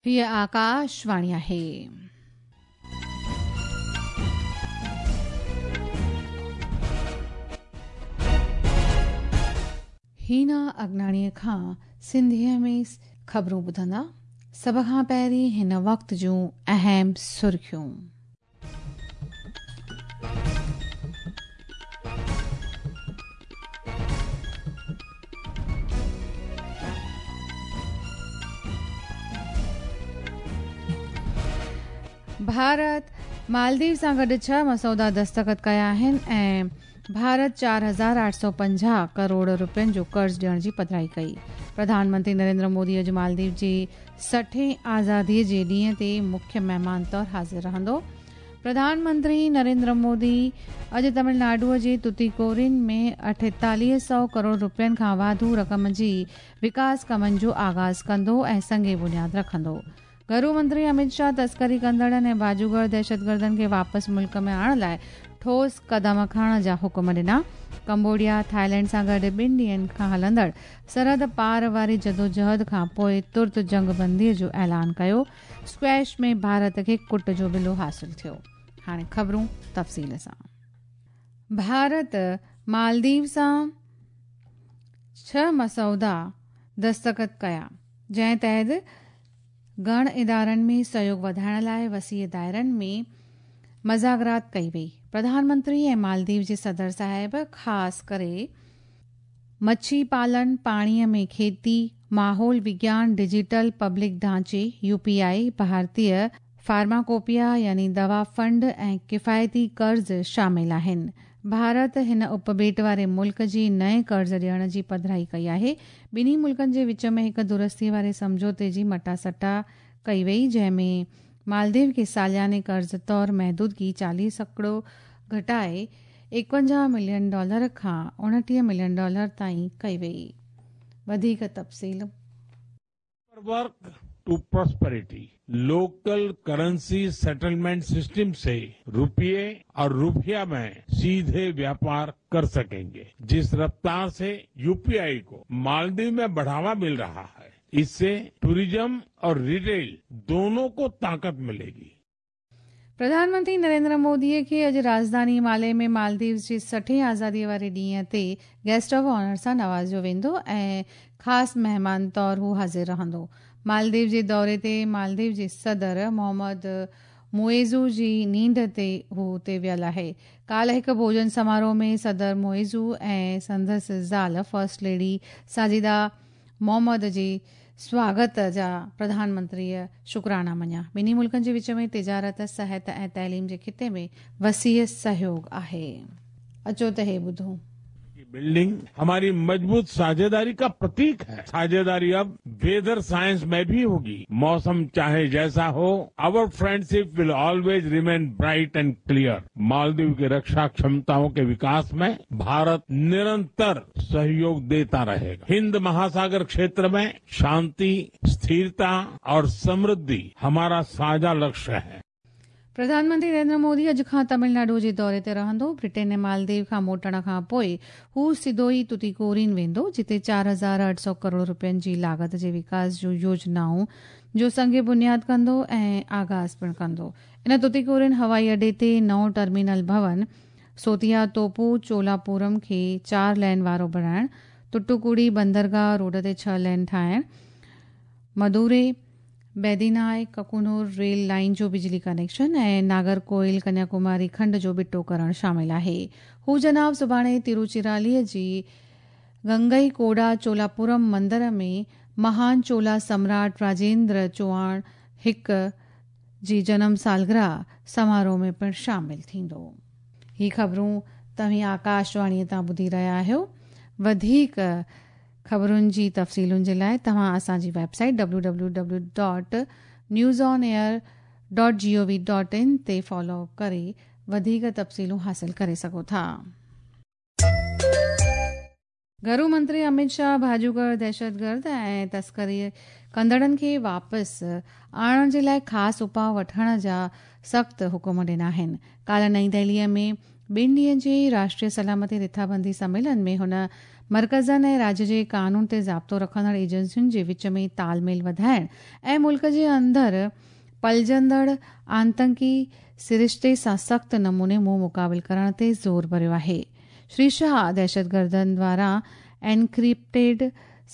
هيء آڪاشواڻي آهي. هينا اگناڻيء کان سنڌيء ۾ خبرون ٻڌندا. سڀ کان پهرين هن وقت جون اهم سرخيون. ڀارت مالديپ سان گڏ ڇهه مسودا دستخط ڪيا آهن ۽ ڀارت 4850 ڪروڙ رپين جو قرض ڏيڻ جي پڌرائي ڪئي. پرڌان منتري نريندر مودي اڄ مالديپ جي سٺين آزادي جي ڏينهن تي مکيه مهمان طور حاضر رهندو. پرڌان منتري نريندر مودي اڄ تمل ناڊو جي توتيڪورين ۾ 48 سئو ڪروڙ رپين کان واڌو رقم جي وڪاس ڪمن جو آغاز ڪندو ۽ سنگ بنياد رکندو. گهرو منتري امت شاهه تسڪري ڪندڙن ۽ باجوگر دهشتگردن کي واپس ملڪ ۾ آڻڻ لاء ٺوس قدم کڻڻ جا حڪم ڏنا. ڪمبوڊيا، ٿائيلينڊ سان گڏ ٻن ڏينهن کان هلندڙ سرحد پار واري جدوجهد کان پوء ترت جنگ بندي جو اعلان ڪيو. اسڪواش ۾ ڀارت کي ڪٽ جو ٻلو حاصل ٿيو. هاڻي خبرون تفصيل سان. ڀارت مالديپ سان ڇهه مسودا دستخط ڪيا، جنهن تحت گهڻ ادارن ۾ سهيوڳ وڌائڻ لاء وسيع دائرن ۾ مذاڪرات ڪئي وئي. پرڌان منتري ۽ مالديپ جي صدر صاحب خاص ڪري مڇي پالن، پاڻيء ۾ کيتي، ماحول وگيان، ڊجيٽل پبلڪ ڍانچي، يو پي آء، ڀارتيه فارماڪوپيا يعني دوا فنڊ ۽ ڪفايتي قرض شامل آهن. ڀارت هن اپٻيٽ واري ملڪ جي نئين قرض ڏيڻ جي پڌرائي ڪئي آهي. ٻنهي ملڪن جي وچ ۾ هڪ درستي واري سمجهوتي جي مٽاسٽا ڪئي وئي، جنهن ۾ مالديپ کي سالياني قرض طور محدودگي 40% گهٽائي 51 ملين ڊالر کان 29 ملين ڊالر تائين ڪئي وئي. وڌيڪ تفصيل. Work to prosperity local currency settlement system से रुपये और रुपया में सीधे व्यापार कर सकेंगे। जिस रफ्तार से यूपीआई को मालदीव में बढ़ावा मिल रहा है, इससे टूरिज्म और रिटेल दोनों को ताकत मिलेगी। प्रधान मंत्री नरेंद्र मोदीअ खे अॼु राजधानी माले में मालदीव्स जी सठें आज़ादीअ वारे ॾींहं ते गेस्ट ऑफ ऑनर सां नवाज़ियो वेंदो ऐं ख़ासि महिमान तौर हू हाज़िर रहंदो। मालदीव जे दौरे ते मालदीव जे सदर मोहम्मद मुइज़ू जी नींड ते हू उते वियल आहे। काल्ह हिकु भोजन समारोह में सदर मुइज़ू ऐं संदसि ज़ाल फर्स्ट लेडी साजिदा मोहम्मद जे स्वागत जा प्रधानमंत्रीअ शुक्राना मञिया। ॿिन्ही मुल्कनि जे विच में तिजारत, सिहत ऐं तइलीम जे ख़िते में वसीअ सहयोग आहे। अचो त हे ॿुधूं। बिल्डिंग हमारी मजबूत साझेदारी का प्रतीक है। साझेदारी अब वेदर साइंस में भी होगी। मौसम चाहे जैसा हो, our friendship will always remain bright and clear। Maldives की रक्षा क्षमताओं के विकास में भारत निरंतर सहयोग देता रहेगा। हिंद महासागर क्षेत्र में शांति, स्थिरता और समृद्धि हमारा साझा लक्ष्य है। प्रधानमंत्री नरेंद्र मोदी अॼु खां तमिलनाडु जे दौरे ते रहंदो। ब्रिटेन ऐं मालदीव खां मोटण खां पोइ हू सिधो ई तुतीकोरिन वेंदो, जिते 4800 करोड़ रुपयनि जी लागत जे विकास जूं योजनाउनि जो संग बुनियाद कंदो ऐं आगाज़ पिणु कंदो। इन तुतीकोरिन हवाई अॾे ते नओं टर्मिनल भवन, सोतिया तोपू चोलापुरम खे 4 लेन वारो बणाइण, टुटुकुड़ी बंदरगाह रोड ते 6 लेन ठाहिण, मदुरै बैदीनाय ककुनूर रेल लाइन जो बिजली कनेक्शन ऐं नागरकोइल कन्याकुमारी खंड जो ॿिटो करणु शामिल आहे। हू जनाब सुभाणे तिरुचिरालीअ जी गंगई कोडा चोलापुरम मंदर में महान चोला सम्राट राजेंद्र चोआण हिकु जी जनम सालगिरह समारोह में पिणु शामिल थींदो। ही ख़बरूं तव्हीं आकाशवाणीअ तां ॿुधी रहिया आहियो। वधीक ख़बरुनि जी तफ़सीलुनि जे लाइ तव्हां असांजी वेबसाइट www.newsonair.gov.in ते फॉलो करे वधीक तफ़सीलूं हासिल करे सघो था। घरू मंत्री अमित शाह भाॼूगर दहशतगर्द ऐं तस्करी कंदड़नि खे वापसि आणण जे लाइ ख़ासि उपाउ वठण जा सख़्तु हुकुम ॾिना आहिनि। काल्ह नई दिल्लीअ में ॿिनि ॾींहंनि जे राष्ट्रीय सलामती रिथाबंदी सम्मेलन में हुन مرڪزن ۽ راجيه جي قانون تي ضابطو رکندڙ ايجنسين جي وچ ۾ تال ميل وڌائڻ ۽ ملڪ جي اندر پلجندڙ آتنڪي سرشتي سان سخت نموني منهن مقابل ڪرڻ تي زور ڀريو آهي. شري شاهه دهشتگردن دواران اينڪرپٽيڊ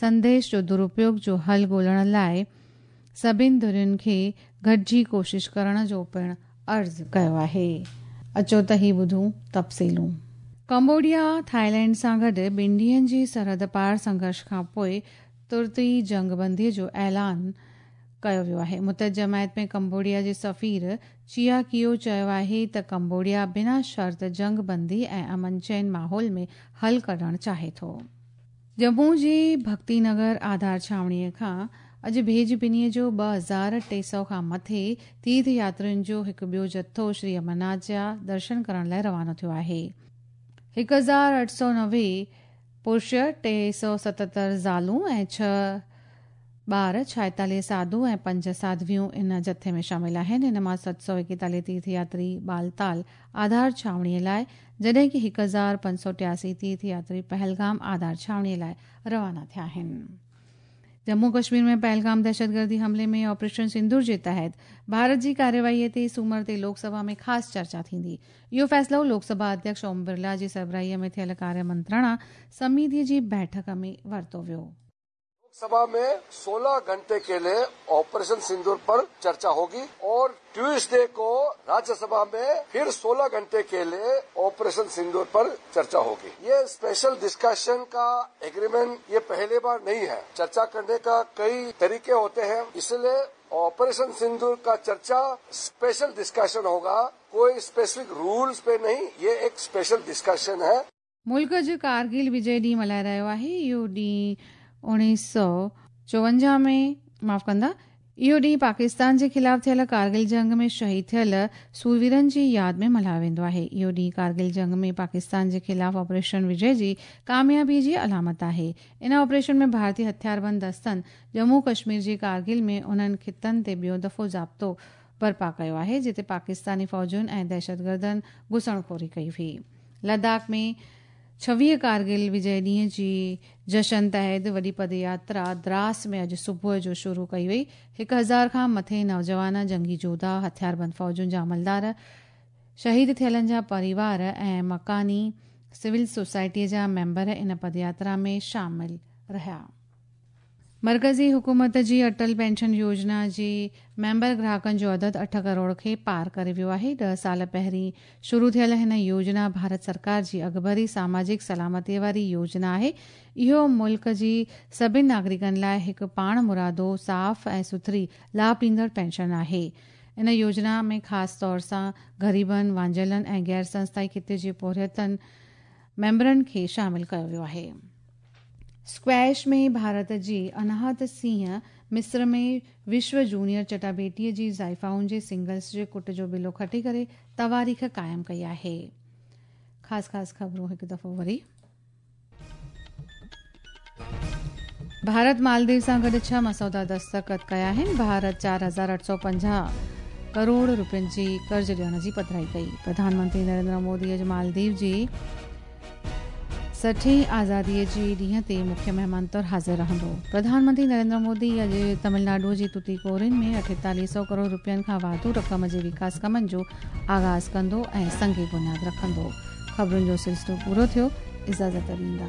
سنديش جو درپيوگ جو حل ڳولڻ لاءِ سڀني ڌرين کي گڏجي ڪوشش ڪرڻ جو پڻ عرض ڪيو آهي. اچو ته هي ٻڌون تفصيلون. ڪمبوڊيا ٿائيلينڊ سان گڏ ٻن ڏينهن جي سرحد پار سنگهرش کان پوءِ ترت ئي جنگبندي جو اعلان ڪيو ويو آهي. متحده جماعت ۾ ڪمبوڊيا جي سفير چيا ڪيو چيو آهي ته ڪمبوڊيا بنا شرط جنگبندي ۽ امن چين ماحول ۾ حل ڪڍڻ چاهي ٿو. ڄمون جي ڀڳتي نگر آڌار ڇانوڻيءَ کان اڄ ڀيڄ ٻنيءَ جو 2300 کان مٿي تيرٿ ياترين جو هڪ ٻيو جٿو شري امرناٿ جا درشن ڪرڻ لاءِ روانو ٿيو آهي. 1890 پرش، 377 زالون ۽ 6 ٻار، 46 ساڌو ۽ 5 ساڌويون ان جٿي ۾ شامل آهن. ان مان 741 تيرٿ ياتري بالتال آڌار ڇانوڻيءَ لاءِ، جڏهن ڪه 1583 تيرٿ ياتري پهلگام آڌار ڇانوڻيءَ لاءِ روانا ٿيا آهن. ڄمون ڪشمير ۾ پهلگام دهشتگردي حملي ۾ آپريشن سندور جي تحت ڀارت جي ڪارروائيءَ تي سومر تي لوڪ سڀا ۾ خاص چرچا ٿيندي. اهو فيصلو لوڪ سڀا اڌيڪش اوم برلا جي سربراهيءَ ۾ ٿيل ڪاريه منترڻا سميتيءَ جي بيٺڪ ۾ ورتو ويو. सभा में 16 घंटे के लिए ऑपरेशन सिंदूर पर चर्चा होगी और ट्यूसडे को राज्यसभा में फिर 16 घंटे के लिए ऑपरेशन सिंदूर पर चर्चा होगी। ये स्पेशल डिस्कशन का एग्रीमेंट ये पहली बार नहीं है। चर्चा करने का कई तरीके होते हैं, इसलिए ऑपरेशन सिंदूर का चर्चा स्पेशल डिस्कशन होगा, कोई स्पेसिफिक रूल्स पे नहीं, ये एक स्पेशल डिस्कशन है। मुल्क अॼु कारगिल विजय ॾींहुं मल्हाए रहियो आहे। इहो ॾींहुं 1954 में, माफ़ कंदा, इहो ॾींहुं पाकिस्तान जे ख़िलाफ़ थियल कारगिल जंग में शहीद थियल सूरवीरनि जी यादि में मल्हायो वेंदो आहे। इहो ॾींहुं कारगिल जंग में पाकिस्तान जे ख़िलाफ़ ऑपरेशन विजय जी कामयाबीअ जी अलामत आहे। इन ऑपरेशन में भारतीय हथियारबंद दस्तनि ڄمون कश्मीर जे कारगिल में उन्हनि ख़ितनि ते ॿियो दफ़ो ज़ाब्तो बर्पा कयो आहे, जिते पाकिस्तानी फ़ौजुनि ऐं दहशतगर्दनि घुसणखोरी कई हुई। लद्दाख में 26 कारगिल विजय ॾींहं जी जशन तहत वॾी पदयात्रा द्रास में अॼु सुबुह जो शुरू कई वई। 1000 खां मथे नौजवान, जंगी जोधा, हथियारबंद फ़ौजुनि जा अमलदार, शहीद थियलनि जा परिवार ऐं मकानी सिविल सोसाइटीअ जा मेंबर इन पदयात्रा में शामिल रहिया। मर्कज़ी हुकूमत जी अटल पेंशन योजना जी मेंबर ग्राहकनि जो अदद 8 करोड़ खे पार करे वियो आहे। 10 साल पहिरीं शुरू थियल हिन योजना भारत सरकार जी अॻुभरी सामाजिक सलामतीअ वारी योजना आहे। इहो मुल्क जी सभिनी नागरिकनि लाइ हिकु पाण मुरादो, साफ़ ऐं सुथरी लाभ ॾींदड़ पेंशन आहे। इन योजना में ख़ासि तौर सां ग़रीबनि, वांझियलनि ऐं गैर संस्थाई खिते जे पोरियतनि मेंबरनि खे शामिल कयो वियो आहे। स्क्वैश में भारत जी अनाहत सिंह मिस्र में विश्व जूनियर चटाभेटीअ जी ज़ाइफ़ाउनि जे सिंगल्स जे कुट जो बिलो खटी करे तवारीख़ क़ाइमु कई आहे। ख़ासि ख़ासि ख़बरूं हिकु दफ़ो वरी। भारत मालदीव सां गॾु 6 मसौदा दस्तख़त कया आहिनि। भारत 4850 करोड़ रुपयनि जी कर्ज़ ॾियण जी पधराई कई। प्रधानमंत्री नरेंद्र मोदी अॼु मालदीव जी 60वीं आज़ादीअ जे ॾींहं ते मुख्य महिमान तौरु हाज़िर रहंदो। प्रधानमंत्री नरेंद्र मोदी अॼु तमिलनाडु जी तुतीकोरिन में 4800 करोड़ रुपयनि खां वाधू रक़म जे विकास कमनि जो आग़ाज़ कंदो ऐं संग बुनियाद रखंदो। ख़बरुनि जो सिलसिलो पूरो थियो। इजाज़त ॾींदा।